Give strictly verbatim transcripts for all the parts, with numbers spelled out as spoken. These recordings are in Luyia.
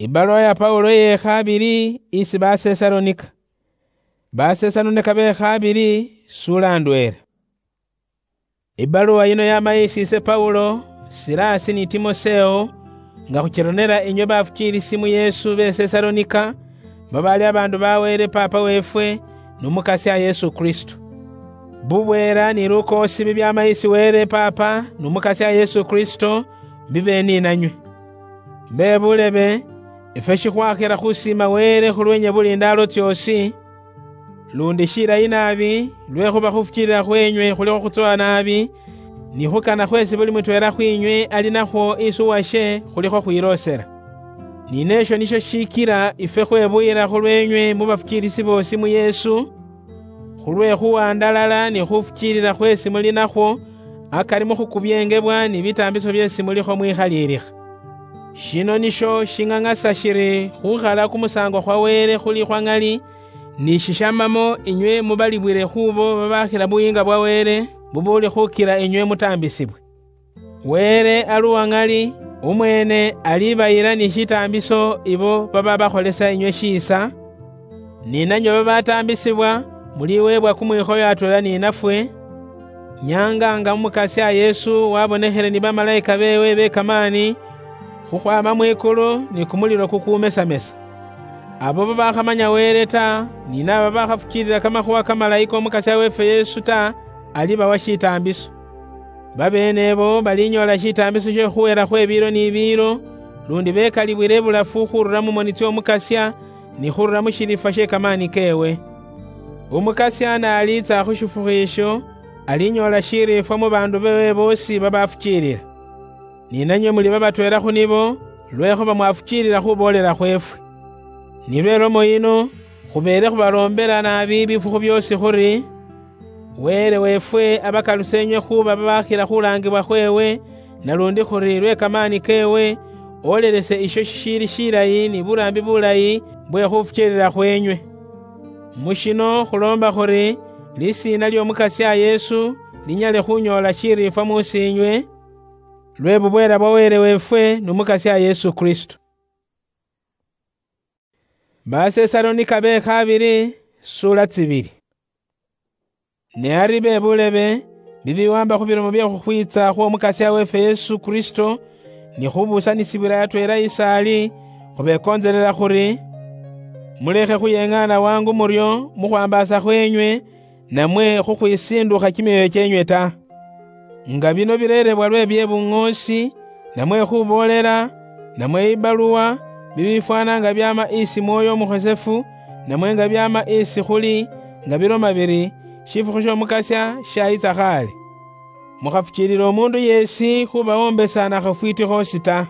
Ibaluwa ya Paulo iye khabili isi Basesalonika. Basesalonika be khabili, sula ndwela. Ibaluwa yino yama isi ise Paulo, Silasi ni Timoseo, nga khuchironera inywe bafukiilisi mu Yesu be Sesalonika, babaali abaandu ba Wele Paapa weefwe, nu Mukasya Yesu Kristo. Bubweela ni lukoosi bibyaama isi Wele Paapa nu Mukasya Yesu Kristo, bibe ni nanywe. Mbe bulebe, ifwe shikhwakhira khusiima Wele khulweenywe buli ndaalo tsyoosi, lundi shilayi naabi, lwekhuba khufukiilila khweenywe khulikho khutsowa naabi, ni khukana khweesi buli mutweela khwiinywe ali nakhwo isi uwashe khulikho khwiloosela. Ni neesho nisho shikila ifwe khwebuyila khulweenywe mu bafukiilisi boosi mu Yesu, khulwe khuwandalala ni khufukiilila khweesi muli nakhwo akari mu khukubyengebwa ni bitaambiso byeesi mulikho mwikhaliilikha. Shino nisho shing'ang'asa shiri khukhala kumusaango khwa Wele khuli khwa ŋali, ni shishamamo inywe mubalibwile khubo babakhila buyiinga bwa Wele bubuuli khukila inywe mutaambisibwe. Wele ali uwa ŋali, umweene alibayila ni shitaambiso ibo bababakholesa inywe shiisa, ni nanywe babataambisibwa, muliweebwa kumwikhoyo atweela ni nafwe, nyaanga nga Umukasya Yesu wabonekhele ni bamalaika beewe be kamaani, khukhwaama mwikulu ni kumulilo kukuumesamesa. Abo babakhamanya Wele ta, ni naabo babakhafukiilila kamakhuwa kamalayi k'Omukasya weefwe Yesu ta, alibawa shitaambiso. Babeene ebo balinyoola shitaambiso she khukhweela khwe biilo ni biilo, lundi bekalibwile ibulafu khurula mu moni tsy'Omukasya, ni khurula mu shiliifwa she kamaani keewe. Umukasya n'aliitsa khu shifukhu isho, alinyoola shiliifwa mu baandu beewe boosi babafukiilila. Ni nanywe muli babatweela khu nibo, lwekhuba mwafukiilila khuboolela khweefwe. Nilwo ilomo yino, khubeele khubaloombela naabi bifukhu byoosi khuri, Wele weefwe abakaluse inywe khuuba babakhila khulaangibwa khweewe, nalundi khuri lwe kamaani keewe, olelese isho shishiili shilayi ni buraambi bulayi bwe khufukiilila khweenywe. Mu shino khuloomba khuri lisiina ly'Omukasya Yesu linyale khunyoola shiriifwa mu siinywe, lwe bubweela bwa Wele weefwe nu Mukasya Yesu Kristo. Basesalonika be khabili, sula tsibili. Ne ari be bulebe, bibiwamba khu bilomo bye khukhwiitsa khw'Omukasya weefwe Yesu Kristo, ni khubusanisibwila atweela isaali, khubekontselela khuri, mulekhe khuyeng'aana wangu muryo mu khwambaasa khweenywe, namwe khukhwisindukha kimyoyo kyeenywe ta. Nga bino bireerebwa lwe bye buŋoosi, namwe khuboolela, namwe ibaluwa, bibifwana nga byaama isi Mwoyo Umukhosefu, namwe nga byaama isi khuli, nga biloma biri, shifukhu sh'Omukasya shayitsa khaale. Mukhafukiilile omuundu yeesi khubawombesa na khafwiiti khoosi ta.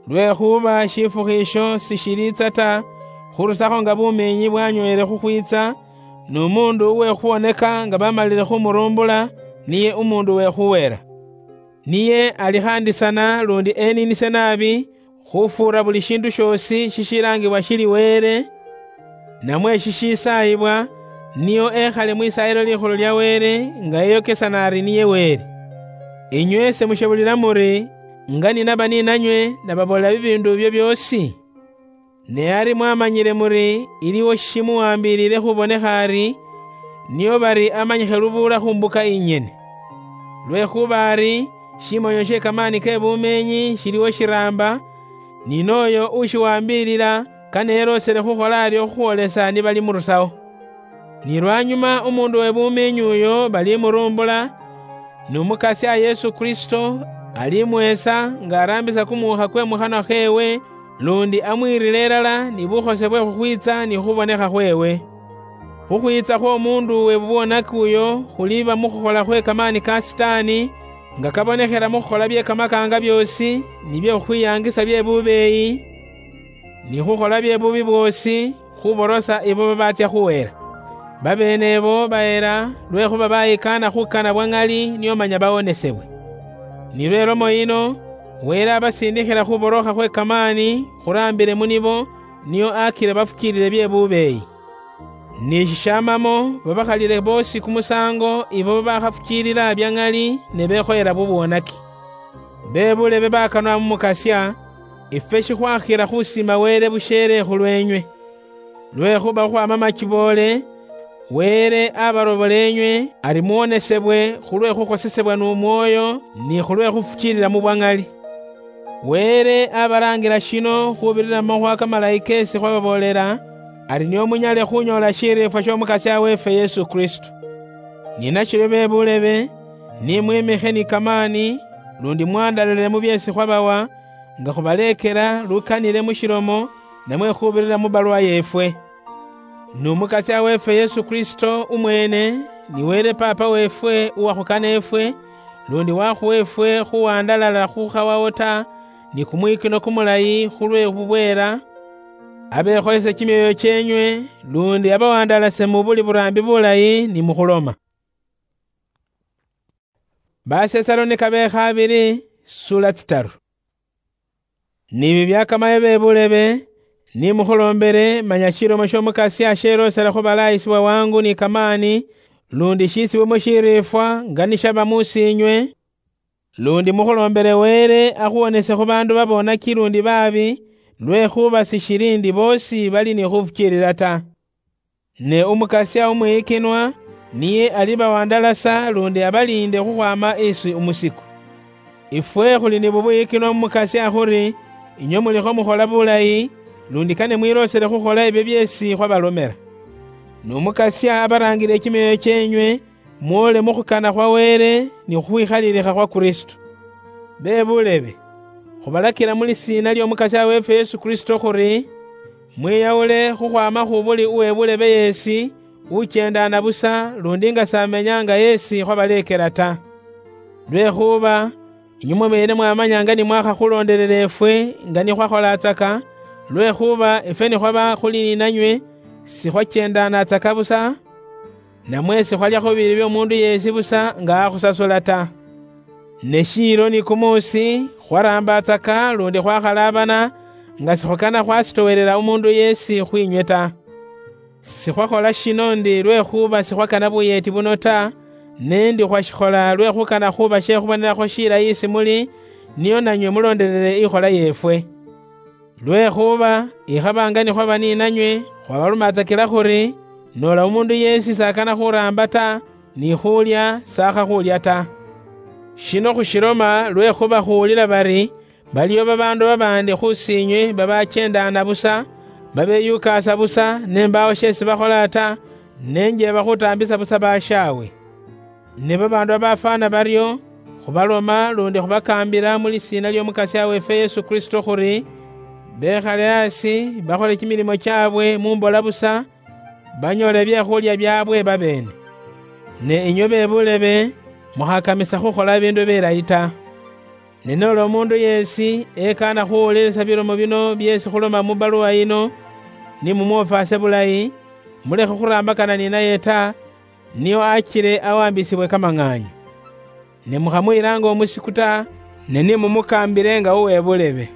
Lwekhuba shifukhu isho sishiliitsa ta, khurusakho nga bumiinyi bwanyweele khukhwiitsa, n'umuundu uwe khuwoneka nga bamalile khumurumbula, niye umuundu uwe khuweela. Niye alikhaandisana lundi eniinise naabi khufuura buli shiindu shoosi shishilaangibwa shili Wele, namwe shishisaayibwa, nio ekhale mwisaayilo likhulu lya Wele, nga eyokesana ari niye Wele. Inywe semushebulila muri, nga ninaba ninanywe, nababoolela bibiindu ibyo byoosi? Ne ari mwamanyile muri iliwo shishimuwambilile khubonekha ari, nio bari amanyikhe lubuula khu mbuka inyene. Lwekhuba ari, shimonyo she kamaani ke bumeenyi shiliwo shiraamba, ni nooyo ushiwambilila, kane yeloosele khukhola aryo khukhwolesa ni balimurusawo. Ni lwanyuma umuundu we bumiinyu uyo balimurumbula, n'Umukasya Yesu Kristo alimweesa nga araambisa kumuukha kwe mukhanwa kheewe, lundi amwiirile ilala ni bukhose bwe khukhwiitsa ni khubonekha khweewe. Khukhwiitsa khw'omuundu we bubwonaki uyo khuliiba mu khukhola khwe kamaani ka Sitaani, nga kabonekhela mu khukhola bye kamakaanga byoosi, ni bye khukhwiyaangisa bye bubeeyi, ni khukhola bye bubi bwoosi, khuborosa ibo babatsya khuhela. Babeene ibo bahela, lwekhuba bayikaana khukana bwa ŋali nio manya bawonesebwe. Ni lwe lomo yino, Wele abasindikhila khuborokha khwe kamaani khuraambile mu nibo, nio akile bafukiilile bye bubeeyi. Ni shishamamo babakhalile boosi kumusaango ibo babakhafukiilila bya ŋali ne bekhoyela bubwonaki. Be bulebe bakanwa mu Mukasya, Ifwe shikhwakhira khusima Wele busheele khulwenywe. Lwekhuba khukhwama machiboole, Wele abarobola enywe ari muwonesebwe khulwe khukhosesebwa nu Mwoyo ni khulwe khufuchilila mu bwang'ali. Wele abarangira shino khubirira mu makhuwa kamalayi kesi khwababoolela, ari nio munyale khunyoola shiriifwa shiomukasia wefe Yesu Kristo. Ni nashiryo be bulebe, ni mwimikhe ni kamaani, lundi mwandalale mu byesi khwabawa, nga khubaleekela lukanile mu shilomo, namwe khubirira mu baluwa yeefwe. Ni Umukasya weefwe Yesu Kristo umweene, ni Wele Paapa weefwe uwakhukana efwe, lundi wakhuwa efwe khuwandalala khukhawawo ta, ni kumwikino kumulayi khulwe bubweela, abekholese kimyoyo kyeenywe, lundi abawandalase mu buli buraambi bulayi ni mukhuloma. Basesalonika be khabili, sula tsitaru. Nibi byakamaye be bulebe, ni mukhulombele, manya shilomo shiomukasia shelosela khubalaayisibwa wangu ni kamaani, lundi shiisibwe mu shiriifwa nga nishaba muusiinywe, lundi mukhulombele Wele akhuwonese khu baandu babonaki lundi baabi, lwekhuba sishili ndi boosi bali ni khufukiilila ta. Ne Umukasya umwiyikinwa niye alibawandalasa lundi abaliinde khukhwama isi umusiku. Ifwe khuli ni bubuyikinwa mu Mukasya khuri, inywe mulikho mukhola bulayi, lundi kane mwiloosele khukhola ebyo byeesi khwabalomela. Ni Umukasya abaraangile kimyoyo kyeenywe, mwole mu khukana khwa Wele ni khukhwikhalilikha khwa Kristo. Be bulebe, khubalakila mu lisiina ly'Omukasya weefwe Yesu Kristo khuri, mwiyawule khukhwama khu buli uwe bulebe yeesi, uchendaana busa, lundi nga s'amenya nga yeesi khwabaleekela ta. Lwekhuba inywe mweene mwamanya nga ni mwakhakhulondelela efwe nga ni khwakholatsaka, lwekhuba efwe ni khwaba khuli ni nanywe, sikhwachendaanatsaka busa, namwe sikhwalyakho biibi byomundu yeesi busa nga akhusasula ta. Ne shiilo ni kumuusi khwaraambatsaka lundi khwakhalaabana, nga sikhukana khwasitowelela umundu yeesi khwinywe ta. Sikhwakhola shino ndi lwekhuba sikhwakana buyeeti buno ta, ne ndi khwashikhola lwekhukana khuba shekhubonelakho shilayi isi muli, nio nanywe mulondelele ikhola yeefwe. Lwekhuba ikhaba nga nikhwaba ninanywe, khwabalumatsakila khuri, noola umundu yeesi s'akana khuraamba ta, ni khuulya s'akha khuulya ta. Shino khushiloma lwekhuba khuwulila bari, baliyo babaandu babaandi khusiinywe babachendaana busa, babeyukaasa busa, ne mbaawo sheesi bakhola ta, ne njeeba khutaambisa busa bashaawe. Ne babaandu babafwana baryo, khubaloma lundi khubakaambila mu lisiina ly'Omukasya weefwe Yesu Kristo khuri, bekhale asi, bakhole kimilimo kyaabwe mu mbola busa, banyoole ebyekhulya byaabwe babeene. Ne inywe be bulebe, mukhakamisa khukhola biindu bilayi ta. Ne noola omuundu yeesi ekaana khuwulilisa bilomo bino byeesi khuloma mu baluwa yino, ni mumwofaase bulayi, mulekhe khuraambakana ninaye ta, nio achile awambisibwe kamang'aanyo. Ne mukhamuyilanga omusiku ta, ne ni mumukaambile nga uwe bulebe.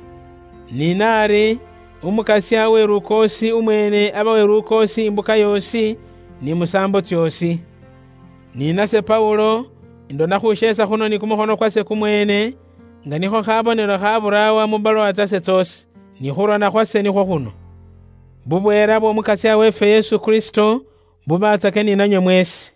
Ni naari, Umukasya we lukoosi umweene aba we lukoosi imbuka yoosi ni musaambo tsyoosi. Ni nase Paulo, indona khusheesa khuno ni kumukhono kwase kumweene, nga nikho khabonelo khaburaawa mu baluwa tsase tsoosi, ni khurona khwase nikhwo khuno. Bubweela bw'Omukasya weefwe Yesu Kristo bubatsake ni nanywe mweesi.